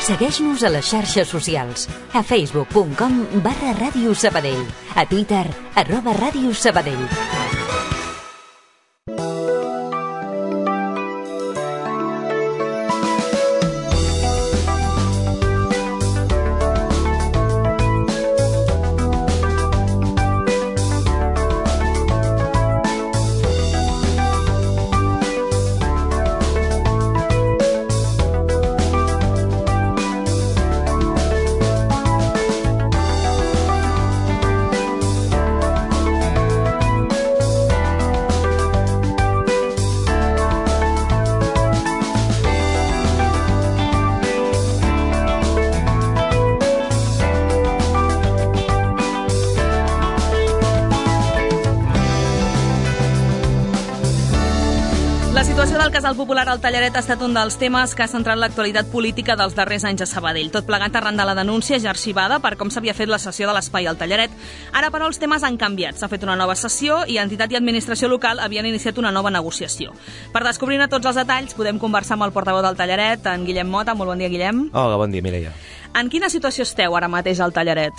Segueix-nos a les xarxes socials, a facebook.com/Ràdio Sabadell, a Twitter, @Ràdio Sabadell. La situació del casal popular al Tellaret ha estat un dels temes que ha centrat l'actualitat política dels darrers anys a Sabadell. Tot plegat arran de la denúncia ja arxivada per com s'havia fet la cessió de l'espai al Tellaret. Ara, però, els temes han canviat. S'ha fet una nova sessió i entitat i administració local havien iniciat una nova negociació. Per descobrir-ne tots els detalls, podem conversar amb el portaveu del Tellaret, en Guillem Mota. Molt bon dia, Guillem. Hola, bon dia, Mireia. En quina situació esteu ara mateix al Tellaret?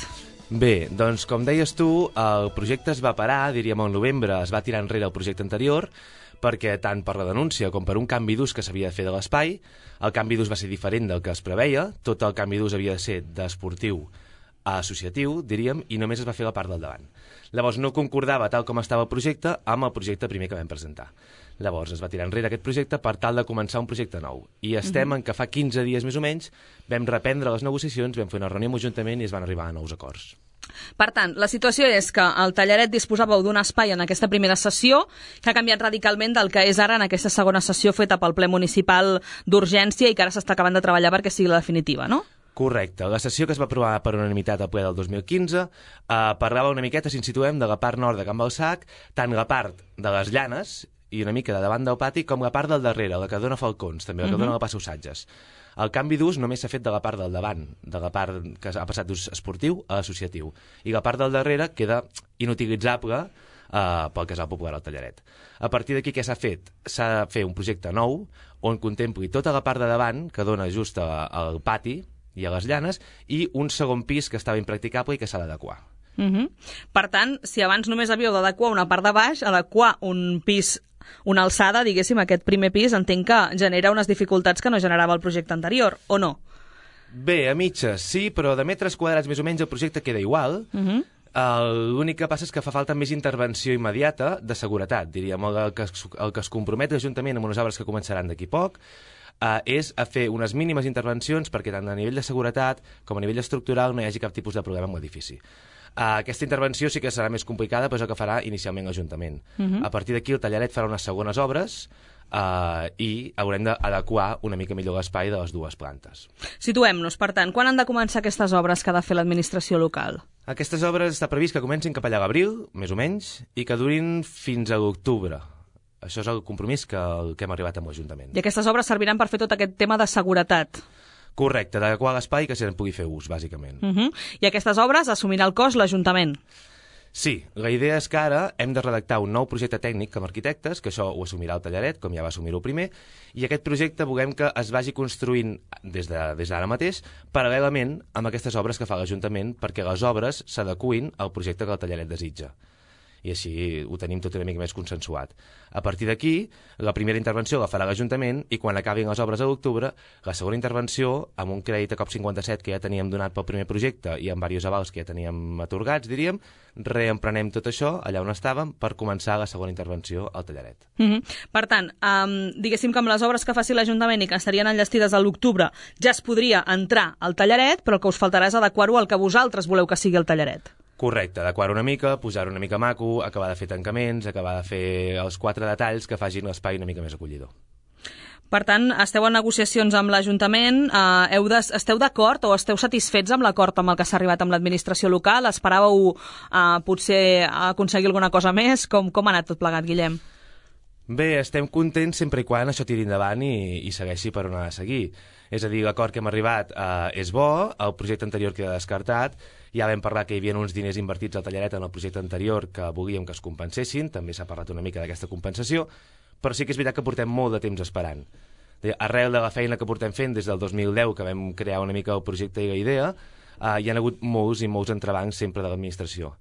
Bé, doncs, com deies tu, el projecte es va parar, diríem, al novembre, es va tirar enrere el projecte anterior, perquè tant per la denúncia com per un canvi d'ús que s'havia de fer de l'espai, el canvi d'ús va ser diferent del que es preveia, tot el canvi d'ús havia de ser d'esportiu a associatiu, diríem, i només es va fer la part del davant. Llavors no concordava tal com estava el projecte amb el projecte primer que vam presentar. Llavors es va tirar enrere aquest projecte per tal de començar un projecte nou. I estem en que fa 15 dies més o menys vam reprendre les negociacions, vam fer una reunió amb l'Ajuntament i es van arribar a nous acords. Per tant, la situació és que el Tellaret disposàveu d'un espai en aquesta primera sessió que ha canviat radicalment del que és ara en aquesta segona sessió feta pel ple municipal d'urgència i que ara s'està acabant de treballar perquè sigui la definitiva, no? Correcte. La sessió que es va aprovar per unanimitat al ple del 2015 parlava una miqueta, si ens situem, de la part nord de Can Balsac, tant la part de les llanes i una mica de davant del pati, com la part del darrere, la que dona Falcons, també la que dona la Passa Usatges. El canvi d'ús només s'ha fet de la part del davant, de la part que ha passat d'ús esportiu a associatiu. I la part del darrere queda inutilitzable pel casal popular al Tellaret. A partir d'aquí, què s'ha fet? S'ha de fer un projecte nou on contempli tota la part de davant, que dona just al pati i a les llanes, i un segon pis que estava impracticable i que s'ha d'adequar. Per tant, si abans només havíeu d'adequar una part de baix, adequar un pis, una alçada, diguéssim, aquest primer pis, entenc que genera unes dificultats que no generava el projecte anterior, o no? Bé, a mitges sí, però de metres quadrats més o menys el projecte queda igual. L'únic que passa és que fa falta més intervenció immediata de seguretat, diríem. El que es compromet l'Ajuntament amb unes obres que començaran d'aquí poc és a fer unes mínimes intervencions perquè tant a nivell de seguretat com a nivell estructural no hi hagi cap tipus de problema amb l'edifici. Aquesta intervenció sí que serà més complicada, però és el que farà inicialment l'Ajuntament. A partir d'aquí el Tellaret farà unes segones obres i haurem d'adequar una mica millor l'espai de les dues plantes. Situem-nos, per tant, quan han de començar aquestes obres que ha de fer l'administració local? Aquestes obres està previst que comencin cap allà a l'abril, més o menys, i que durin fins a l'octubre. Això és el compromís que hem arribat amb l'Ajuntament. I aquestes obres serviran per fer tot aquest tema de seguretat? Correcte, d'adequar l'espai que se'n pugui fer ús, bàsicament. I aquestes obres assumirà el cost l'Ajuntament? Sí, la idea és que ara hem de redactar un nou projecte tècnic com a arquitectes, que això ho assumirà el Tellaret, com ja va assumir-ho primer, i aquest projecte volem que es vagi construint des d'ara mateix, paral·lelament amb aquestes obres que fa l'Ajuntament, perquè les obres s'adequin al projecte que el Tellaret desitja. I així ho tenim tot una mica més consensuat. A partir d'aquí, la primera intervenció la farà l'Ajuntament i quan acabin les obres a l'octubre, la segona intervenció, amb un crèdit a COP57 que ja teníem donat pel primer projecte i amb diversos avals que ja teníem atorgats, diríem, reemprenem tot això allà on estàvem per començar la segona intervenció al Tellaret. Per tant, diguéssim que amb les obres que faci l'Ajuntament i que estarien enllestides a l'octubre ja es podria entrar al Tellaret, però el que us faltarà és adequar-ho al que vosaltres voleu que sigui el Tellaret. Correcte, adequar una mica, posar una mica maco, acabar de fer tancaments, acabar de fer els 4 detalls que facin l'espai una mica més acollidor. Per tant, esteu en negociacions amb l'Ajuntament, esteu d'acord o esteu satisfets amb l'acord amb el que s'ha arribat amb l'administració local? Esperàveu potser aconseguir alguna cosa més? Com ha anat tot plegat, Guillem? Bé, estem contents sempre i quan això tiri endavant i segueixi per on ha de seguir. És a dir, l'acord que hem arribat és bo, el projecte anterior queda descartat, ja vam parlar que hi havia uns diners invertits al Tellaret en el projecte anterior que volíem que es compensessin, també s'ha parlat una mica d'aquesta compensació, però sí que és veritat que portem molt de temps esperant. Arrel de la feina que portem fent des del 2010, que vam crear una mica el projecte i la idea, hi ha hagut molts i molts entrebancs sempre de l'administració.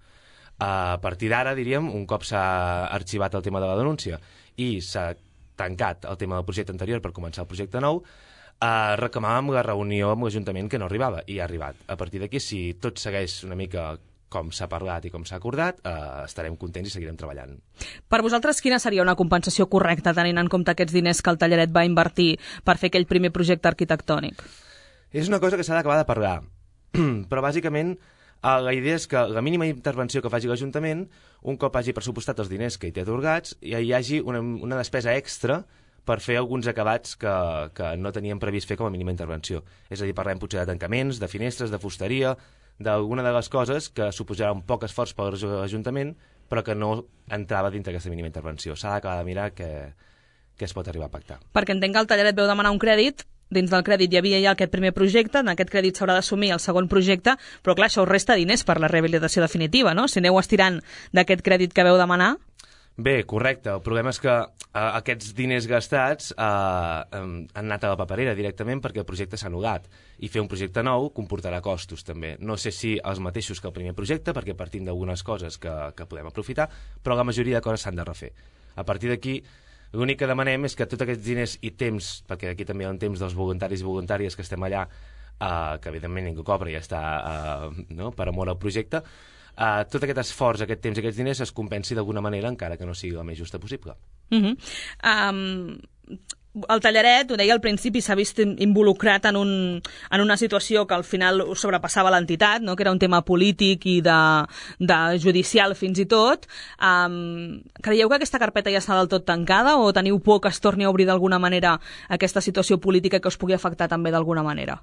A partir d'ara, diríem, un cop s'ha arxivat el tema de la denúncia i s'ha tancat el tema del projecte anterior per començar el projecte nou, reclamàvem la reunió amb l'Ajuntament que no arribava, i ha arribat. A partir d'aquí, si tot segueix una mica com s'ha parlat i com s'ha acordat, estarem contents i seguirem treballant. Per vosaltres, quina seria una compensació correcta, tenint en compte aquests diners que el Tellaret va invertir per fer aquell primer projecte arquitectònic? És una cosa que s'ha d'acabar de parlar, però bàsicament la idea és que la mínima intervenció que faci l'Ajuntament, un cop hagi pressupostat els diners que hi té atorgats, hi hagi una despesa extra per fer alguns acabats que no teníem previst fer com a mínima intervenció. És a dir, parlem potser de tancaments, de finestres, de fusteria, d'alguna de les coses que suposarà un poc esforç per l'Ajuntament, però que no entrava dintre d'aquesta mínima intervenció. S'ha d'acabar de mirar què es pot arribar a pactar. Perquè entenc que el Tellaret veu demanar un crèdit, dins del crèdit hi havia ja aquest primer projecte, en aquest crèdit s'haurà d'assumir el segon projecte, però clar, això us resta diners per la rehabilitació definitiva, no? Si aneu estirant d'aquest crèdit que veu demanar... Bé, correcte. El problema és que aquests diners gastats han anat a la paperera directament perquè el projecte s'ha anul·lat, i fer un projecte nou comportarà costos també. No sé si els mateixos que el primer projecte, perquè partim d'algunes coses que podem aprofitar, però la majoria de coses s'han de refer. A partir d'aquí, l'únic que demanem és que tots aquests diners i temps, perquè aquí també hi ha un temps dels voluntaris i voluntàries que estem allà, que evidentment ningú cobra i ja està per amor al projecte, tot aquest esforç, aquest temps i aquests diners es compensi d'alguna manera, encara que no sigui la més justa possible. El Tellaret, ho deia al principi, s'ha vist involucrat en una situació que al final sobrepassava l'entitat, no? Que era un tema polític i de judicial fins i tot. Creieu que aquesta carpeta ja està del tot tancada o teniu por que es torni a obrir d'alguna manera aquesta situació política que us pugui afectar també d'alguna manera?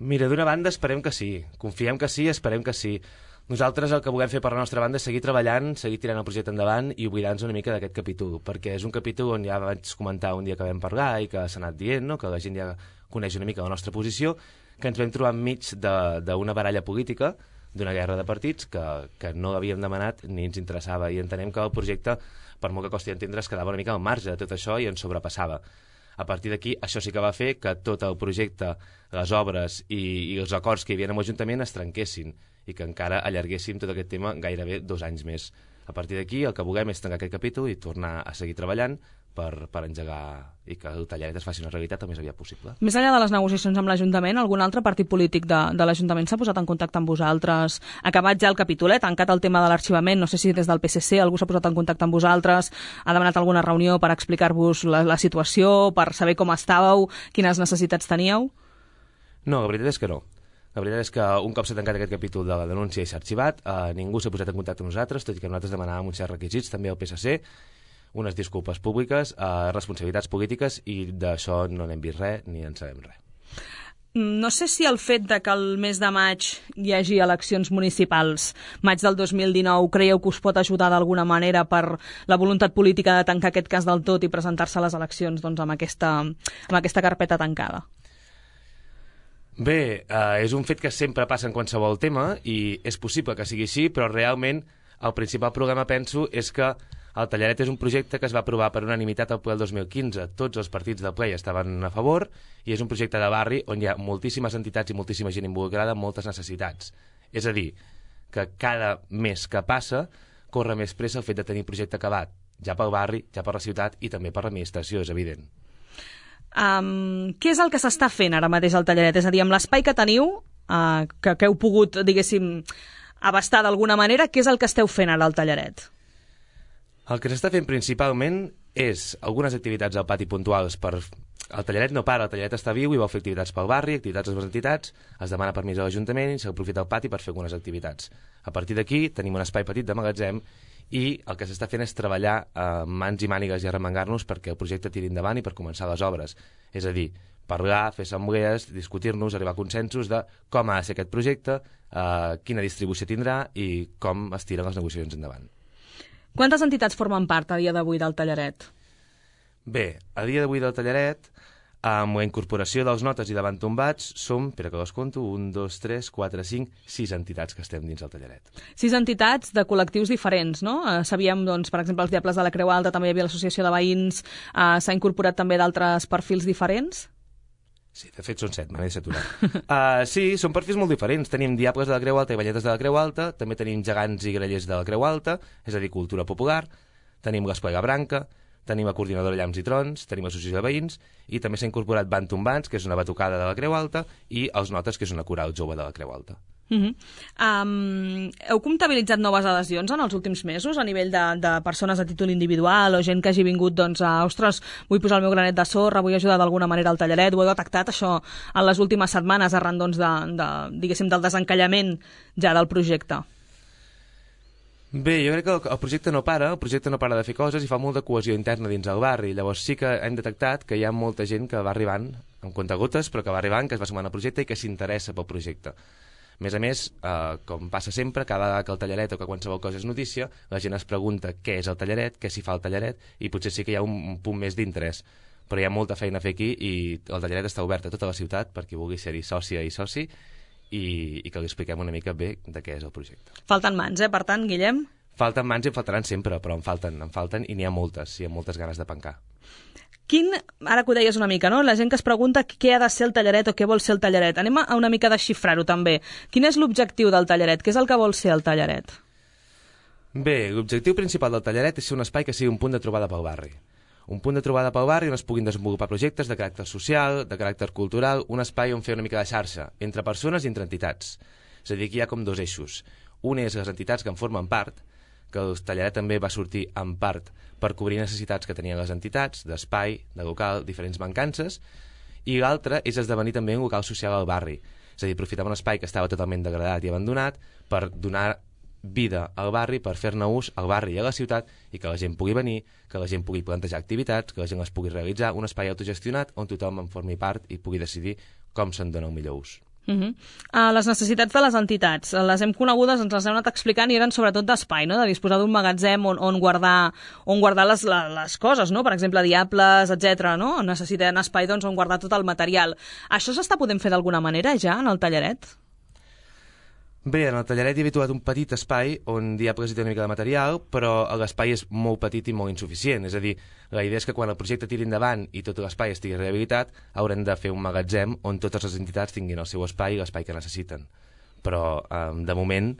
Mira, d'una banda esperem que sí. Confiem que sí, esperem que sí. Nosaltres el que volem fer per la nostra banda és seguir treballant, seguir tirant el projecte endavant i oblidar-nos una mica d'aquest capítol, perquè és un capítol on ja vaig comentar un dia que vam parlar i que s'ha anat dient, no? Que la gent ja coneix una mica la nostra posició, que ens vam trobar enmig d'una baralla política, d'una guerra de partits que no l'havíem demanat ni ens interessava, i entenem que el projecte, per molt que costi entendre, es quedava una mica al marge de tot això i ens sobrepassava. A partir d'aquí, això sí que va fer que tot el projecte, les obres i els acords que hi havia amb l'Ajuntament es trenquessin i que encara allarguéssim tot aquest tema gairebé 2 anys més. A partir d'aquí, el que volem és tancar aquest capítol i tornar a seguir treballant per engegar i que el Tellaret es faci una realitat el més aviat possible. Més enllà de les negociacions amb l'Ajuntament, algun altre partit polític de l'Ajuntament s'ha posat en contacte amb vosaltres? Acabat ja el capítol, tancat el tema de l'arxivament, no sé si des del PSC algú s'ha posat en contacte amb vosaltres, ha demanat alguna reunió per explicar-vos la situació, per saber com estàveu, quines necessitats teníeu? No, la veritat és que no. La veritat és que un cop s'ha tancat aquest capítol de la denúncia i s'ha arxivat, ningú s'ha posat en contacte amb nosaltres, tot i que nosaltres demanàvem uns certs requisits, també al PSC, unes disculpes públiques, responsabilitats polítiques, i d'això no n'hem vist res ni en sabem res. No sé si el fet de que el mes de maig hi hagi eleccions municipals, maig del 2019, creieu que us pot ajudar d'alguna manera per la voluntat política de tancar aquest cas del tot i presentar-se a les eleccions amb aquesta carpeta tancada? Bé, és un fet que sempre passa en qualsevol tema i és possible que sigui així, però realment el principal problema, penso, és que el Tellaret és un projecte que es va aprovar per unanimitat al ple del 2015. Tots els partits del ple hi estaven a favor i és un projecte de barri on hi ha moltíssimes entitats i moltíssima gent involucrada amb moltes necessitats. És a dir, que cada mes que passa corre més pressa el fet de tenir projecte acabat, ja pel barri, ja per la ciutat i també per l'administració, és evident. Què és el que s'està fent ara mateix al Tellaret? És a dir, amb l'espai que teniu, que heu pogut, diguéssim, abastar d'alguna manera, què és el que esteu fent ara al Tellaret? El que s'està fent principalment és algunes activitats al pati puntuals per... El Tellaret no para, el Tellaret està viu i vol fer activitats pel barri, activitats a les entitats, es demana permís a l'Ajuntament i s'aprofita el pati per fer algunes activitats. A partir d'aquí tenim un espai petit de magatzem i el que s'està fent és treballar mans i mànigues i arremangar-nos perquè el projecte tiri endavant i per començar les obres. És a dir, parlar, fer assemblees, discutir-nos, arribar a consensos de com ha de ser aquest projecte, quina distribució tindrà i com es tiren les negociacions endavant. Quantes entitats formen part a dia d'avui del Tellaret? Bé, a dia d'avui del Tellaret Amb la incorporació dels notes i davant tombats som, espera que les conto, 1, 2, 3, 4, 5, 6 entitats que estem dins el tallaret. 6 entitats de col·lectius diferents, no? Sabíem, doncs, per exemple, els Diables de la Creu Alta, també hi havia l'associació de veïns, s'ha incorporat també d'altres perfils diferents? Sí, de fet són 7, me n'he saturat. Sí, són perfils molt diferents. Tenim Diables de la Creu Alta i Velletes de la Creu Alta, també tenim Gegants i Grallers de la Creu Alta, és a dir, cultura popular, tenim l'Esplega Branca, tenim la Coordinadora Llamps i Trons, tenim l'associació de veïns, i també s'ha incorporat Bantombans, que és una batucada de la Creu Alta, i els Notes, que és una coral jove de la Creu Alta. Heu comptabilitzat noves adhesions en els últims mesos a nivell de persones a títol individual o gent que hagi vingut ostres, vull posar el meu granet de sorra, vull ajudar d'alguna manera al tallaret? Ho heu detectat això en les últimes setmanes arran diguéssim, del desencallament ja del projecte? Bé, jo crec que el projecte no para de fer coses i fa molta cohesió interna dins el barri. Llavors sí que hem detectat que hi ha molta gent que va arribant amb comptagotes, però que va arribant, que es va sumar al projecte i que s'interessa pel projecte. A més, com passa sempre, cada vegada que el tallaret o que qualsevol cosa és notícia, la gent es pregunta què és el tallaret, què s'hi fa al tallaret, i potser sí que hi ha un punt més d'interès. Però hi ha molta feina a fer aquí i el tallaret està obert a tota la ciutat per qui vulgui ser-hi sòcia i soci i que li expliquem una mica bé de què és el projecte. Falten mans, per tant, Guillem? Falten mans i en faltaran sempre, però en falten i n'hi ha moltes, hi ha moltes ganes de pencar. Ara que ho deies una mica, no? La gent que es pregunta què ha de ser el tallaret o què vol ser el tallaret. Anem a una mica desxifrar-ho també. Quin és l'objectiu del tallaret? Què és el que vol ser el tallaret? Bé, l'objectiu principal del tallaret és ser un espai que sigui un punt de trobada pel barri. Un punt de trobada pel barri on es puguin desenvolupar projectes de caràcter social, de caràcter cultural, un espai on fer una mica de xarxa, entre persones i entre entitats. És a dir, aquí hi ha com dos eixos. Un és les entitats que en formen part, que el tallaret també va sortir en part per cobrir necessitats que tenien les entitats, d'espai, de local, diferents mancances, i l'altre és esdevenir també un local social al barri. És a dir, aprofitar un espai que estava totalment degradat i abandonat per donar vida al barri, per fer-ne ús al barri i a la ciutat i que la gent pugui venir, que la gent pugui plantejar activitats, que la gent les pugui realitzar, un espai autogestionat on tothom en formi part i pugui decidir com se'n dona el millor ús. Les necessitats de les entitats, les hem conegudes, ens les heu anat explicant i eren sobretot d'espai, no? De disposar d'un magatzem on guardar les coses, no? Per exemple, diables, etc. No? Necessiten espai on guardar tot el material. Això s'està podent fer d'alguna manera ja en el tallaret? Bé, en el tallaret hi he habituat un petit espai on Diables hi té una mica de material, però l'espai és molt petit i molt insuficient. És a dir, la idea és que quan el projecte tiri endavant i tot l'espai estigui rehabilitat, haurem de fer un magatzem on totes les entitats tinguin el seu espai i l'espai que necessiten. Però, de moment,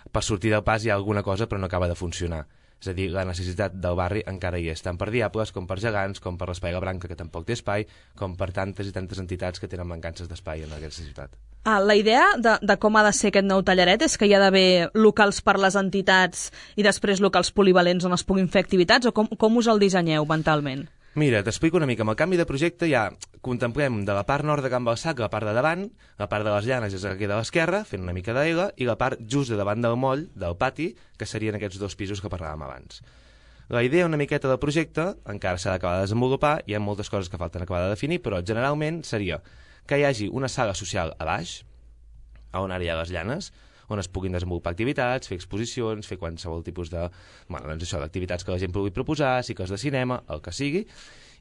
per sortir del pas hi ha alguna cosa, però no acaba de funcionar. És a dir, la necessitat del barri encara hi és, tant per Diables com per Gegants, com per l'Esplega Branca, que tampoc té espai, com per tantes i tantes entitats que tenen mancances d'espai en aquesta ciutat. La idea de com ha de ser aquest nou tallaret és que hi ha d'haver locals per les entitats i després locals polivalents on es puguin fer activitats, o com us el dissenyeu mentalment? Mira, t'explico una mica. Amb el canvi de projecte ja contemplem de la part nord de Can Balsac la part de davant, la part de les llanes és la que queda a l'esquerra, fent una mica d'aigua, i la part just de davant del moll, del pati, que serien aquests dos pisos que parlàvem abans. La idea una miqueta del projecte encara s'ha d'acabar de desenvolupar, hi ha moltes coses que falten acabar de definir, però generalment seria que hi hagi una sala social a baix, on ara hi ha les llanes, on es puguin desenvolupar activitats, fer exposicions, fer qualsevol tipus de, d'activitats que la gent pugui proposar, cicles de cinema, el que sigui,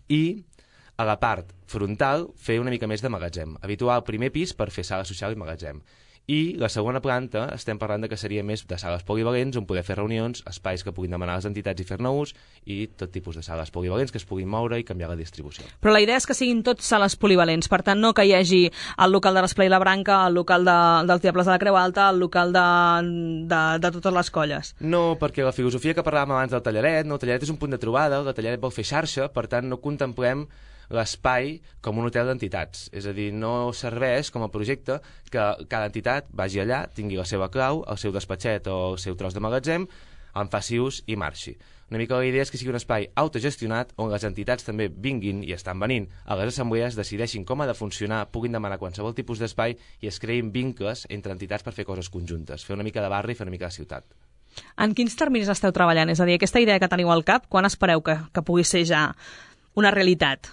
i a la part frontal fer una mica més de magatzem, habituar el primer pis per fer sala social i magatzem. I la segona planta estem parlant de que seria més de sales polivalents on poder fer reunions, espais que puguin demanar les entitats i fer-ne ús i tot tipus de sales polivalents que es puguin moure i canviar la distribució. Però la idea és que siguin tots sales polivalents, per tant no que hi hagi el local de l'Esplega Branca, el local dels Diables de la Creu Alta, el local de totes les colles. No, perquè la filosofia que parlàvem abans del tallaret, el tallaret és un punt de trobada, el tallaret vol fer xarxa, per tant no contemplem l'espai com un hotel d'entitats. És a dir, no serveix com a projecte que cada entitat vagi allà, tingui la seva clau, el seu despatxet o el seu tros de magatzem, en faci ús i marxi. Una mica la idea és que sigui un espai autogestionat on les entitats també vinguin i estan venint a les assemblees, decideixin com ha de funcionar, puguin demanar qualsevol tipus d'espai i es creïn vincles entre entitats per fer coses conjuntes, fer una mica de barri i fer una mica de ciutat. En quins terminis esteu treballant? És a dir, aquesta idea que teniu al cap, quan espereu que pugui ser ja una realitat?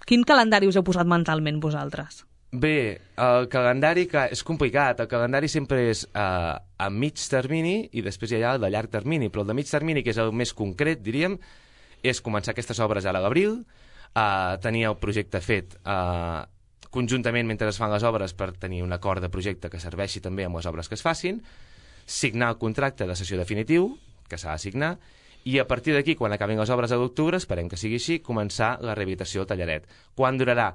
Quin calendari us heu posat mentalment vosaltres? Bé, el calendari és complicat. El calendari sempre és a mig termini i després hi ha el de llarg termini. Però el de mig termini, que és el més concret, diríem, és començar aquestes obres ara a l'abril, tenir el projecte fet conjuntament mentre es fan les obres per tenir un acord de projecte que serveixi també amb les obres que es facin, signar el contracte de cessió definitiu, que s'ha de signar, i a partir d'aquí, quan acabin les obres a l'octubre, esperem que sigui així, començar la rehabilitació del tallaret. Quan durarà?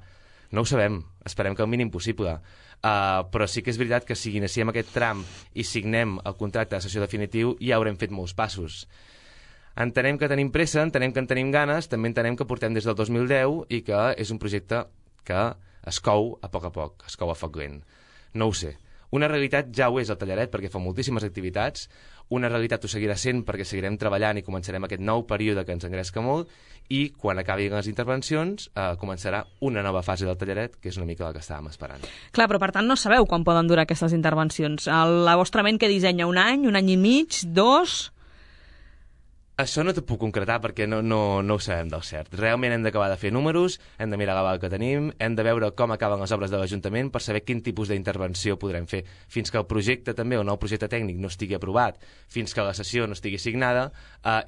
No ho sabem, esperem que el mínim possible. Però sí que és veritat que si iniciem aquest tram i signem el contracte de cessió definitiu, ja haurem fet molts passos. Entenem que tenim pressa, entenem que en tenim ganes, també entenem que portem des del 2010 i que és un projecte que es cou a poc, es cou a foc lent. No ho sé. Una realitat ja ho és el tallaret perquè fa moltíssimes activitats, una realitat ho seguirà sent perquè seguirem treballant i començarem aquest nou període que ens engresca molt i quan acabin les intervencions començarà una nova fase del tallaret que és una mica la que estàvem esperant. Clar, però per tant no sabeu quan poden durar aquestes intervencions. La vostra ment que dissenya un any i mig, 2... Això no t'ho puc concretar perquè no ho sabem del cert. Realment hem d'acabar de fer números, hem de mirar l'aval que tenim, hem de veure com acaben les obres de l'Ajuntament per saber quin tipus d'intervenció podrem fer. Fins que el projecte també, el nou projecte tècnic, no estigui aprovat, fins que la sessió no estigui signada,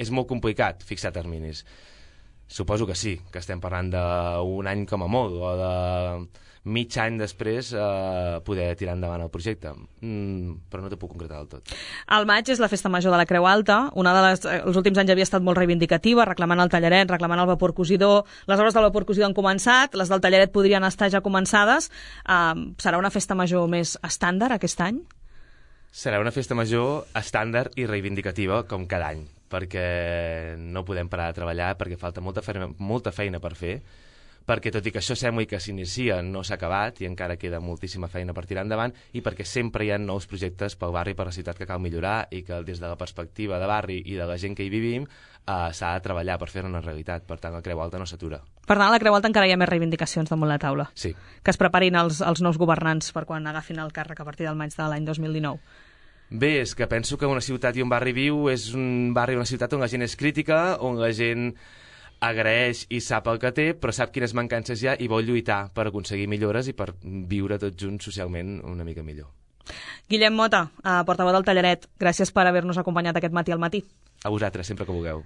és molt complicat fixar terminis. Suposo que sí, que estem parlant d'un any com a molt, o de mig any després poder tirar endavant el projecte. Però no t'ho puc concretar del tot. El maig és la festa major de la Creu Alta. Els últims anys havia estat molt reivindicativa, reclamant el tallaret, reclamant el vapor cosidor. Les obres del vapor cosidor han començat, les del tallaret podrien estar ja començades. Serà una festa major més estàndard aquest any? Serà una festa major estàndard i reivindicativa, com cada any, perquè no podem parar de treballar, perquè falta molta feina per fer, perquè tot i que això sembla que s'inicia no s'ha acabat i encara queda moltíssima feina per tirar endavant i perquè sempre hi ha nous projectes pel barri i per la ciutat que cal millorar i que des de la perspectiva de barri i de la gent que hi vivim s'ha de treballar per fer-ne una realitat. Per tant, la Creu Alta no s'atura. Per tant, a la Creu Alta encara hi ha més reivindicacions damunt la taula. Sí. Que es preparin els nous governants per quan agafin el càrrec a partir del maig de l'any 2019. Bé, és que penso que una ciutat i un barri viu és un barri i una ciutat on la gent és crítica, on la gent agraeix i sap el que té, però sap quines mancances hi ha i vol lluitar per aconseguir millores i per viure tots junts socialment una mica millor. Guillem Mota, portaveu del Tallaret, gràcies per haver-nos acompanyat aquest matí al matí. A vosaltres, sempre que vulgueu.